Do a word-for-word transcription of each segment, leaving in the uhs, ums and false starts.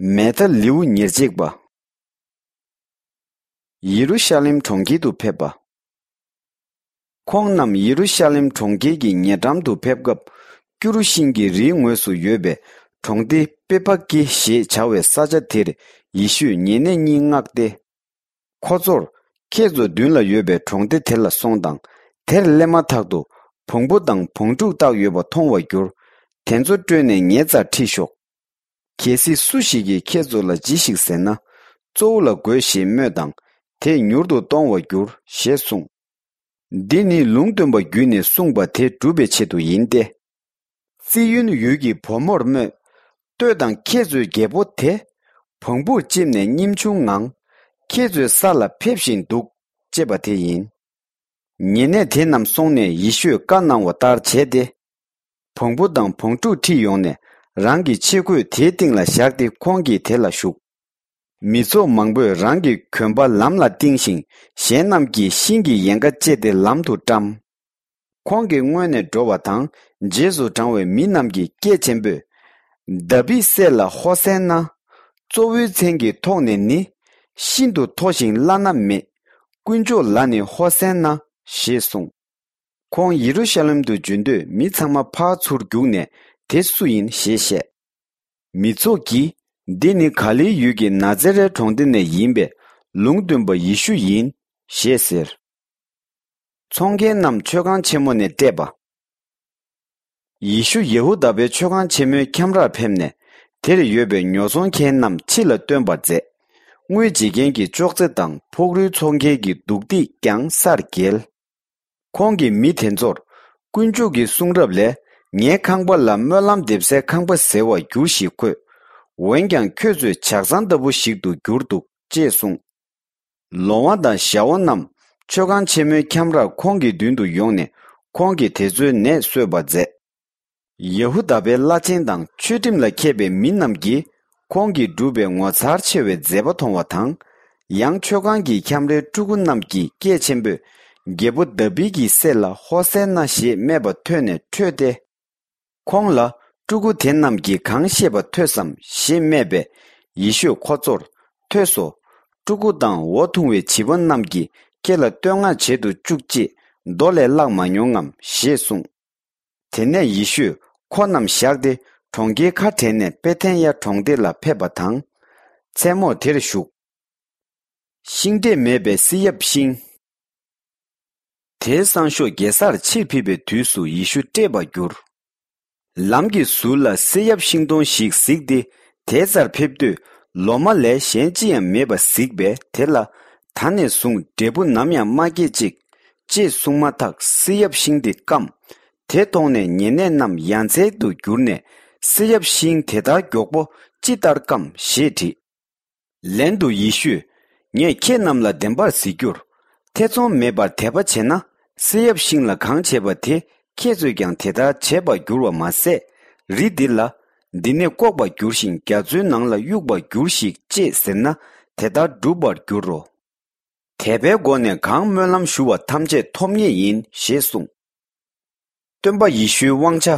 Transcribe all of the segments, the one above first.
མེ་ཐ་ལེའུ་ཉེར་གཅིག་པ། ཡེ་རུ་ཤ་ལེམ་གྲོང་ཁྱེར་དུ་ཕེབས་པ། ཁོང་རྣམས་ཡེ་རུ་ཤ་ལེམ་གྲོང་ཁྱེར་གྱི་ཉེ་འགྲམ་དུ་ཕེབས་སྐབས། སྐྱུ་རུ་ཤིང་གི་རིའི་ངོས་སུ་ཡོད་པའི་གྲོང་སྡེ་པེ་ཕ་ཀི་ཞེས་བྱ་བའི་ས་ཆ་དེར་ཡེ་ཤུས་ཉེ་གནས་གཉིས་མངགས་ཏེ། ཁོ་ཚོར། ཁྱེད་ཚོ་མདུན་ལ་ཡོད་པའི་གྲོང་སྡེ་དེ་ལ་སོང་དང་། དེར་སླེབས་མ་ཐག་ཏུ་བོང་བུ་དང་བོང་ཕྲུག་བཏགས་ཡོད་པ་མཐོང་བར་འགྱུར། དེ་ཚོ་བཀྲོལ་ནས་ངའི་རྩར་ཁྲིད་ཤོག། གལ་སྲིད་སུ་ཞིག་གིས་ཁྱེད་ཚོ་ལ་ཅི་ཞིག་ཟེར་ན། གཙོ་བོ་ལ་དགོས་ཞེས་སྨྲོས་དང་། དེས་མྱུར་དུ་གཏོང་བར་འགྱུར་ཞེས་གསུངས། འདི་ནི་ལུང་སྟོན་པ་བརྒྱུད་ནས་གསུངས་པ་དེ་འགྲུབ་པའི་ཆེད་དུ་ཡིན་ཏེ། ཙི་ཡོན་ཡུལ་གྱི་བུ་མོར་སྨྲོས། ལྟོས་དང་། ཁྱེད་ཚོའི་རྒྱལ་པོ་དེ། བོང་བུར་བཅིབས་ནས་སྙེམས་ཆུང་ངང་། ཁྱེད་ཚོའི་ས་ལ་ཕེབས་བཞིན་འདུག། ཅེས་པ་དེ་ཡིན། ཉེ་གནས་དེ་རྣམས་སོང་ནས་ཡེ་ཤུས་བཀའ་གནང་བ་ལྟར་བྱས་ཏེ། བོང་བུ་དང་བོང་ཕྲུག་ཁྲིད་ཡོང་ནས། རང་གི་ཆས་གོས་དེའི་སྟེང་ལ་བཞག་སྟེ་ཁོང་གིས་དེ་ལ་ཞུགས། མི་ཚོགས་མང་པོས་རང་གི་གོན་པ་ལམ་ལ་བཏིང་ཞིང་། གཞན་རྣམས་ཀྱིས་ཤིང་གི་ཡལ་ག་བཅད་དེ་ལམ་དུ་བཀྲམ། ཁོང་གི་སྔོན་ནས་འགྲོ་བ་དང་། རྗེས་སུ་འབྲང་བའི་མི་རྣམས་ཀྱིས་སྐད་ཆེན་པོས། དཱ་བིད་སྲས་ལ་ཧོ་སན་ན། གཙོ་བོའི་མཚན་གྱི་ཐོག་ནས་ནི། ཤིན་ཏུ་མཐོ་ཞིང་བླ་ན་མེད། དཀོན་མཆོག་ལ་ནི་ཧོ་སན་ན། ཞེས་གསུངས། ཁོང་ཡེ་རུ་ཤ་ལེམ་དུ་འབྱོན་དུས། མི་ཚང་མ་ཕར་ཚུར་རྒྱུགས་ནས། དེ་སུ་ཡིན་ཞེས་བཤད། མི་ཚོགས་ཀྱིས། འདི་ནི་ག་ལིལ་ཡུལ་གྱི་ན་ཛེ་རའི་གྲོང་སྡེ་ནས་ཡིན་པའི། ལུང་སྟོན་པ་ཡེ་ཤུ་ཡིན། ཞེས་ཟེར། ཚོང་མཁན་རྣམས་མཆོད་ཁང་ཆེན་མོ་ནས་བསྐྲད་པ། ཡེ་ཤུ་ཡེ་ཧུ་དཱ་པའི་མཆོད་ཁང་ཆེན་མོའི་ཁྱམས་རར་ཕེབས་ནས། དེར་ཡོད་པའི་ཉོ་ཚོང་མཁན་རྣམས་ཕྱི་ལ་བཏོན་པར་མཛད། དངུལ་བརྗེ་མཁན་གྱི་ཅོག་ཙེ་དང་། ཕུག་རོན་འཚོ་མཁན་གྱི་འདུག་སྟེགས་ཀྱང་སར་བསྒྱེལ། ཁོང་གིས་མི་དེ་ཚོར། དཀོན་མཆོག་གི་གསུང་རབ་ལས། ངའི་ཁང་པ་ལ་སྨོན་ལམ་འདེབས་སའི་ཁང་པ་ཟེར་བར་འགྱུར་ཞེས་འཁོད། འོན་ཀྱང་ཁྱོད་ཚོས་ཇག་ཚང་ལྟ་བུ་ཞིག་ཏུ་གྱུར་འདུག། ཅེས་གསུངས། ལོང་བ་དང་ཞ་བོ་རྣམས་མཆོད་ཁང་ཆེན་མོའི་ཁྱམས་རར་ཁོང་གི་མདུན་དུ་ཡོང་ནས། ཁོང་གིས་དེ་ཚོའི་ནད་གསོས་པར་མཛད། ཡེ་ཧུ་དཱ་པའི་བླ་ཆེན་དང་། ཆོས་ཁྲིམས་ལ་མཁས་པའི་མི་རྣམས་ཀྱིས། ཁོང་གིས་བསྒྲུབས་པའི་ངོ་མཚར་ཆེ་བའི་མཛད་པ་མཐོང་བ་དང་། ཡང་མཆོད་ཁང་གི་ཁྱམས་རའི་ཕྲུ་གུ་རྣམས་ཀྱིས་སྐད་ཆེན་པོས། རྒྱལ་པོ་དཱ་བིད་ཀྱི་སྲས་ལ་ཧོ་སན་ན་ཞེས་སྨྲས་པ་ཐོས་ནས་ཁྲོས་ཏེ། ཁོང་ལ། ཕྲུ་གུ་དེ་རྣམས་ཀྱིས་གང་བཤད་པ་ཐོས་སམ། ཞེས་སྨྲས་པས། ཡེ་ཤུས་ཁོ་ཚོར། ཐོས་སོ། ཕྲུ་གུ་དང་འོ་འཐུང་བའི་བྱིས་པ་རྣམས་ཀྱིས་ཁྱེད་ལ་བསྟོད་བསྔགས་བྱེད་དུ་བཅུག་ཅེས་མདོ་ལས་བཀླགས་མ་མྱོང་ངམ། ཞེས་གསུངས། དེ་ནས་ཡེ་ཤུས་ཁོ་རྣམས་བཞག་སྟེ། གྲོང་ཁྱེར་ཁ་བྲལ་ནས་པེ་ཐན་ཡ་གྲོང་སྡེ་ལ་ཕེབས་པ་དང་། མཚན་མོར་དེར་བཞུགས། ཤིང་འབྲས་མེད་པའི་བསིལ་ཡབ་ཤིང་། དེའི་སང་ཞོགས་རྒྱལ་སར་ཕྱིར་ཕེབས་པའི་དུས་སུ་ཡེ་ཤུ་བཀྲེས་པར་གྱུར། ལམ་གྱི་ཟུར་ལ་བསིལ་ཡབ་ཤིང་སྡོང་ཞིག་གཟིགས་ཏེ། དེའི་རྩར་ཕེབས་དུས། ལོ་མ་ལས་གཞན་ཅི་ཡང་མེད་པ་གཟིགས་པས། དེ་ལ། ད་ནས་བཟུང་འབྲས་བུ་ནམ་ཡང་མ་སྐྱེད་ཅིག། ཅེས་གསུངས་མ་ཐག་བསིལ་ཡབ་ཤིང་དེ་སྐམ། དེ་མཐོང་ནས་ཉེ་གནས་རྣམས་ཡ་མཚན་དུ་གྱུར་ནས། བསིལ་ཡབ་ཤིང་དེ་ལྟར་མགྱོགས་པོ་ཅི་ལྟར་སྐམ། ཞེས་དྲིས། ལན་དུ་ཡེ་ཤུས། ངས་ཁྱེད་རྣམས་ལ་བདེན་པར་ཟེར་རྒྱུར། ཐེ་ཚོམ་མེད་པར་དད་པ་བྱས་ན། བསིལ་ཡབ་ཤིང་ལ་གང་བྱས་པ་དེ། ཁྱེད་ཚོས་ཀྱང་དེ་ལྟར་བྱེད་པར་འགྱུར་བ་མ་ཟད། རི་འདི་ལ། འདི་ནས་བཀོག་པར་འགྱུར་ཞིང་། རྒྱ་མཚོའི་ནང་ལ་གཡུག་པར་འགྱུར་ཞིག། ཅེས་ཟེར་ན། དེ་ལྟར་འགྲུབ་པར་འགྱུར་རོ། དད་པའི་སྒོ་ནས་གང་སྨོན་ལམ་ཞུ་བ་ཐམས་ཅད་ཐོབ་ངེས་ཡིན། ཞེས་གསུངས། སྟོན་པ་ཡེ་ཤུའི་དབང་ཆ།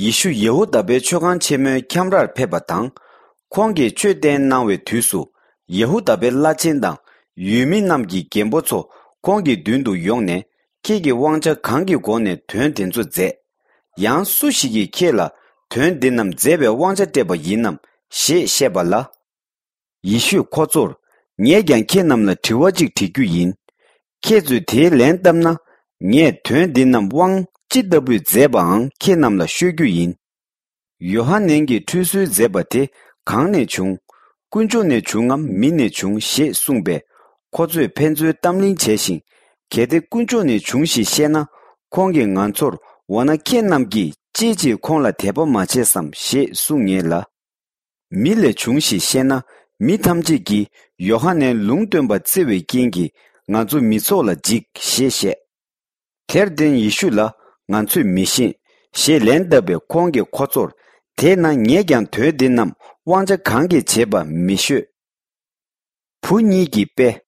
ཡེ་ཤུ་ཡེ་ཧུ་དཱ་པའི་མཆོད་ཁང་ཆེན་མོའི་ཁྱམས་རར་ཕེབས་པ་དང་། ཁོང་གིས་ཆོས་བསྟན་གནང་བའི་དུས་སུ། ཡེ་ཧུ་དཱ་པའི་བླ་ཆེན་དང་ཡུལ་མི་རྣམས་ཀྱི་རྒན་པོ་ཚོ་ཁོང་གི་མདུན་དུ་ཡོང་ནས། ཁྱེད་ཀྱི་དབང་ཆ་གང་གི་སྒོ་ནས་དོན་དེ་ཚོ་མཛད། ཡང་སུ་ཞིག་གིས་ཁྱེད་ལ་དོན་འདི་རྣམས་མཛད་པའི་དབང་ཆ་སྤྲད་པ་ཡིན་ནམ། ཞེས་བཤད་པ་ལ། ཡེ་ཤུས་ཁོ་ཚོར། ངས་ཀྱང་ཁྱེད་རྣམས་ལ་དྲི་བ་གཅིག་དྲི་རྒྱུ་ཡིན། ཁྱེད་ཚོས་དེའི་ལན་བཏབ་ན། ངས་དོན་འདི་རྣམས་དབང་ཅི་ལྟ་བུས་མཛད་པའང་ཁྱེད་རྣམས་ལ་ཤོད་རྒྱུ་ཡིན། ཡོ་ཧ་ནན་གྱིས་ཁྲུས་གསོལ་མཛད་པ་དེ་གང་ནས་བྱུང་། དཀོན་མཆོག་ནས་བྱུང་ངམ་མི་ནས་བྱུང་། ཞེས་གསུངས་པས། ཁོ་ཚོས་ཕན་ཚུན་གཏམ་གླེང་བྱས་ཤིང་། གལ་ཏེ་དཀོན་མཆོག་ནས་བྱུང་ཞེས་བཤད་ན། ཁོང་གིས་ང་ཚོར། འོ་ན་ཁྱེད་རྣམས་ཀྱིས་ཅིའི་ཕྱིར་ཁོང་ལ་དད་པ་མ་བྱས་སམ། ཞེས་གསུང་ངེས་ལ། མི་ལས་བྱུང་ཞེས་བཤད་ན། མི་ཐམས་ཅད་ཀྱིས་ཡོ་ཧ་ནན་ལུང་སྟོན་པ་བརྩི་བའི་རྐྱེན་གྱིས། ང་ཚོ་མི་ཚོགས་ལ་འཇིགས། ཞེས་བཤད། དེར་བརྟེན་ཡེ་ཤུ་ལ། ང་ཚོས་མི་ཤེས། ཞེས་ལན་བཏབ་པས། ཁོང་གིས་ཁོ་ཚོར། དེས་ན་ངས་ཀྱང་དོན་འདི་རྣམས་དབང་ཆ་གང་གིས་བྱས་པ་མི་ཤོད། བུ་གཉིས་ཀྱི་དཔེ།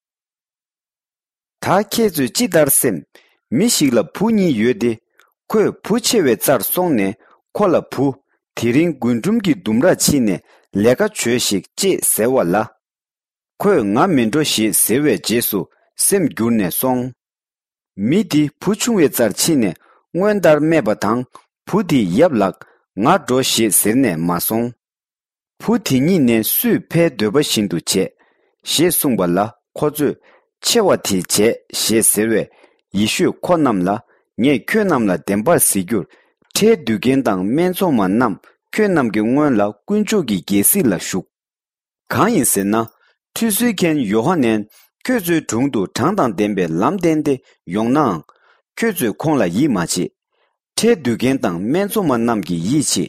ད་ཁྱེད་ཚོས་ཅི་ལྟར་སེམས། མི་ཞིག་ལ་བུ་གཉིས་ཡོད་དེ། ཁོས་བུ་ཆེ་བའི་རྩར་སོང་ནས་ཁོ་ལ་བུ། དེ་རིང་རྒུན་འབྲུམ་གྱི་ལྡུམ་རར་ཕྱིན་ནས་ ལས་ཀ་བྱོས་ཤིག་ཅེས་ཟེར་བ་ལ། ཁོས་ང་མི་འགྲོ་ཞེས་ཟེར་བའི་རྗེས་སུ་སེམས་འགྱུར་ནས་སོང་། མི་དེ་བུ་ཆུང་བའི་རྩར་ཕྱིན་ནས་སྔོན་ལྟར་སྨྲས་པ་དང་བུ་དེས་ཡབ་ལགས་ང་འགྲོ་ཞེས་ཟེར་ནས་མ་སོང་། བུ་དེ་ཉིད་ནས་སུས་ཕའི་འདོད་པ་བཞིན་དུ་བྱས། ཞེས་གསུངས་པ་ལ་ཁོ་ཚོས་ཆེ་བ་དེས་བྱས་ཞེས་ཟེར་བས། ཡེ་ཤུས་ཁོ་རྣམས་ལ་ངས་ཁྱོད་རྣམས་ལ་བདེན་པར་ཟེར་རྒྱུར། ཁྲལ་བསྡུ་མཁན་དང་སྨད་འཚོང་མ་རྣམས་ཁྱོད་རྣམས་ཀྱི་སྔོན་ལ་དཀོན་མཆོག་གི་རྒྱལ་སྲིད་ལ་ཞུགས། གང་ཡིན་ཟེར་ན། ཁྲུས་གསོལ་མཁན་ཡོ་ཧ་ནན་ཁྱོད་ཚོའི་དྲུང་དུ་གྲངས་དང་ལྡན་པའི་ལམ་བསྟན་ཏེ་ཡོང་ནའང་། ཁྱོད་ཚོས་ཁོང་ལ་ཡིད་མ་ཆེས། ཁྲལ་བསྡུ་མཁན་དང་སྨད་འཚོང་མ་རྣམས་ཀྱིས་ཡིད་ཆེས།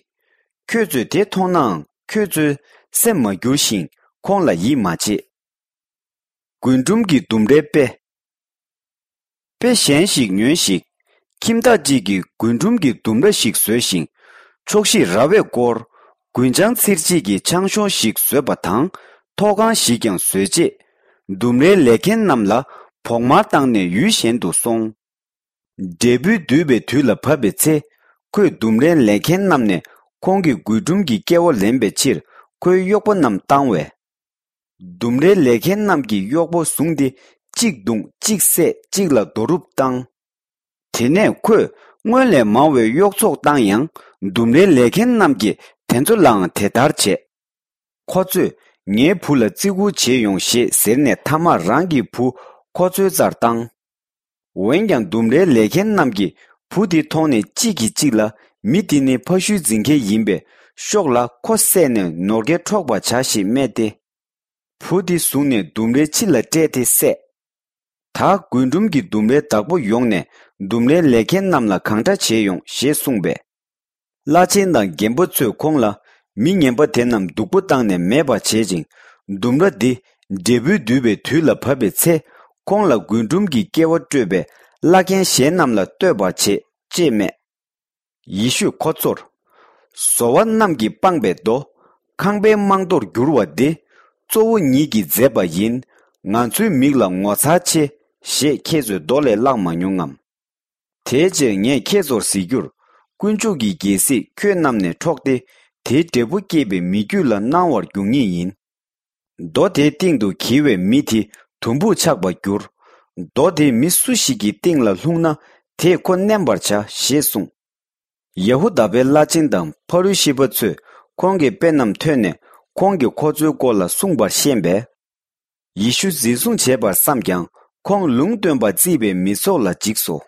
ཁྱོད་ཚོས་དེ་མཐོང་ནའང་ཁྱོད་ཚོའི་སེམས་མ་འགྱུར་ཞིང་ཁོང་ལ་ཡིད་མ་ཆེས། རྒུན་འབྲུམ་གྱི་ལྡུམ་རའི་དཔེ། དཔེ་གཞན་ཞིག་ཉོན་ཞིག་ཁྱིམ་བདག་ཅིག་གིས་རྒུན་འབྲུམ་གྱི་ལྡུམ་ར་ཞིག་བཟོས་ཤིང་། ཕྱོགས་བཞིར་ར་བས་བསྐོར། རྒུན་ཆང་ཚིར་བྱེད་ཀྱི་ཆང་གཞོང་ཞིག་བཟོས་པ་དང་ཐོག་ཁང་ཞིག་ཀྱང་བཟོས་རྗེས། ལྡུམ་རའི་ལས་མཁན་རྣམས་ལ་བོགས་མར་བཏང་ནས་ཡུལ་གཞན་དུ་སོང་། འབྲས་བུ་སྡུད་པའི་དུས་ལ་བབ་པའི་ཚེ། ཁོས་ལྡུམ་རའི་ལས་མཁན་རྣམས་ནས་ཁོང་གི་རྒུན་འབྲུམ་གྱི་སྐལ་བ་ལེན་པའི་ཕྱིར་ཁོའི་གཡོག་པོ་རྣམས་བཏང་བས། ལྡུམ་རའི་ལས་མཁན་རྣམས་ཀྱིས་གཡོག་པོ་བཟུང་སྟེ་གཅིག་བརྡུངས་གཅིག་བསད་གཅིག་ལ་རྡོ་རུབ་བཏང་། དེ་ནས་ཁོས་སྔོན་ལས་མང་བའི་གཡོག་ཚོགས་བཏང་ཡང་ལྡུམ་རའི་ལས་མཁན་རྣམས་ཀྱིས་དེ་ཚོ་ལའང་དེ་ལྟར་བྱས། ཁོ་ཚོས་ངའི་བུ་ལ་བརྩི་བཀུར་བྱེད་ཡོང་ཞེས་ཟེར་ནས་མཐའ་མར་རང་གི་བུ་ཁོ་ཚོའི་རྩར་བཏང་། འོན་ཀྱང་ལྡུམ་རའི་ལས་མཁན་རྣམས་ཀྱིས་བུ་དེ་མཐོང་ནས་གཅིག་གིས་གཅིག་ལ་མི་འདི་ནི་ཕ་ཤུལ་འཛིན་མཁན་ཡིན་པས་ཤོག་ལ་ཁོ་བསད་ནས་ནོར་སྐལ་འཕྲོག་པར་བྱ་ཞེས་སྨྲས་ཏེ། བུ་དེ་བཟུང་ནས་ལྡུམ་རའི་ཕྱི་ལ་བསྐྲད་དེ་བསད། ད་རྒུན་འབྲུམ་གྱི་ལྡུམ་རའི་བདག་པོ་ཡོང་ནས་ལྡུམ་རའི་ལས་མཁན་རྣམས་ལ་གང་འདྲ་བྱེད་ཡོང་ཞེས་གསུངས་པས། བླ་ཆེན་དང་རྒན་པོ་ཚོས་ཁོང་ལ་མི་ངན་པ་དེ་རྣམས་སྡུག་པོ་བཏང་ནས་མེད་པར་བྱེད་ཅིང་ལྡུམ་ར་འདི་འབྲས་བུ་སྡུད་པའི་དུས་ལ་བབ་པའི་ཚེ་ཁོང་ལ་རྒུན་འབྲུམ་གྱི་སྐལ་བ་སྤྲོད་པའི་བླ་རྒན་གཞན་རྣམས་ལ་གཏོད་པར་བྱེད་ཅེས་སྨྲས། ཡེ་ཤུས་ཁོ་ཚོར། བཟོ་བ་རྣམས་ཀྱིས་སྤངས་པའི་མདོ། ཁང་པའི་རྨང་རྡོར་འགྱུར་བ་འདི། གཙོ་བོ་ཉིད་ཀྱིས་མཛད་པ་ཡིན། ང་ཚོའི་མིག་ལ་ངོ་མཚར་ཆེ། ཞེས་ཁྱེད་ཚོས་མདོ་ལས་བཀླགས་མ་མྱོང་ངམ། དེའི་ཕྱིར་ངས་ཁྱེད་ཚོར་ཟེར་རྒྱུར། དཀོན་མཆོག་གི་རྒྱལ་སྲིད་ཁྱོད་རྣམས་ནས་འཕྲོག་སྟེ། དེའི་འབྲས་བུ་སྐྱེད་པའི་མི་རྒྱུད་ལ་གནང་བར་འགྱུར་ངེས་ཡིན། རྡོ་དེའི་སྟེང་དུ་འགྱེལ་བའི་མི་དེ་དུམ་བུར་ཆགས་པར་འགྱུར། རྡོ་དེ་མི་སུ་ཞིག་གི་སྟེང་ལ་ལྷུང་ན་དེས་ཁོ་མནན་པར་བྱ་ཞེས་གསུངས། ཡ་ཧུ་དཱ་པའི་བླ་ཆེན་དང་ཕ་རུ་ཤི་པ་ཚོས་ཁོང་གི་དཔེ་རྣམས་ཐོས་ནས་ཁོང་གིས་ཁོ་ཚོའི་སྐོར་ལ་གསུངས་པར་ཤེས་པས། ཡེ་ཤུ་འཛིན་བཟུང་བྱས་པར་བསམས་ཀྱང་ཁོང་ལུང་སྟོན་པར་བརྩིས་པའི་མི་ཚོགས་ལ་འཇིགས་སོ།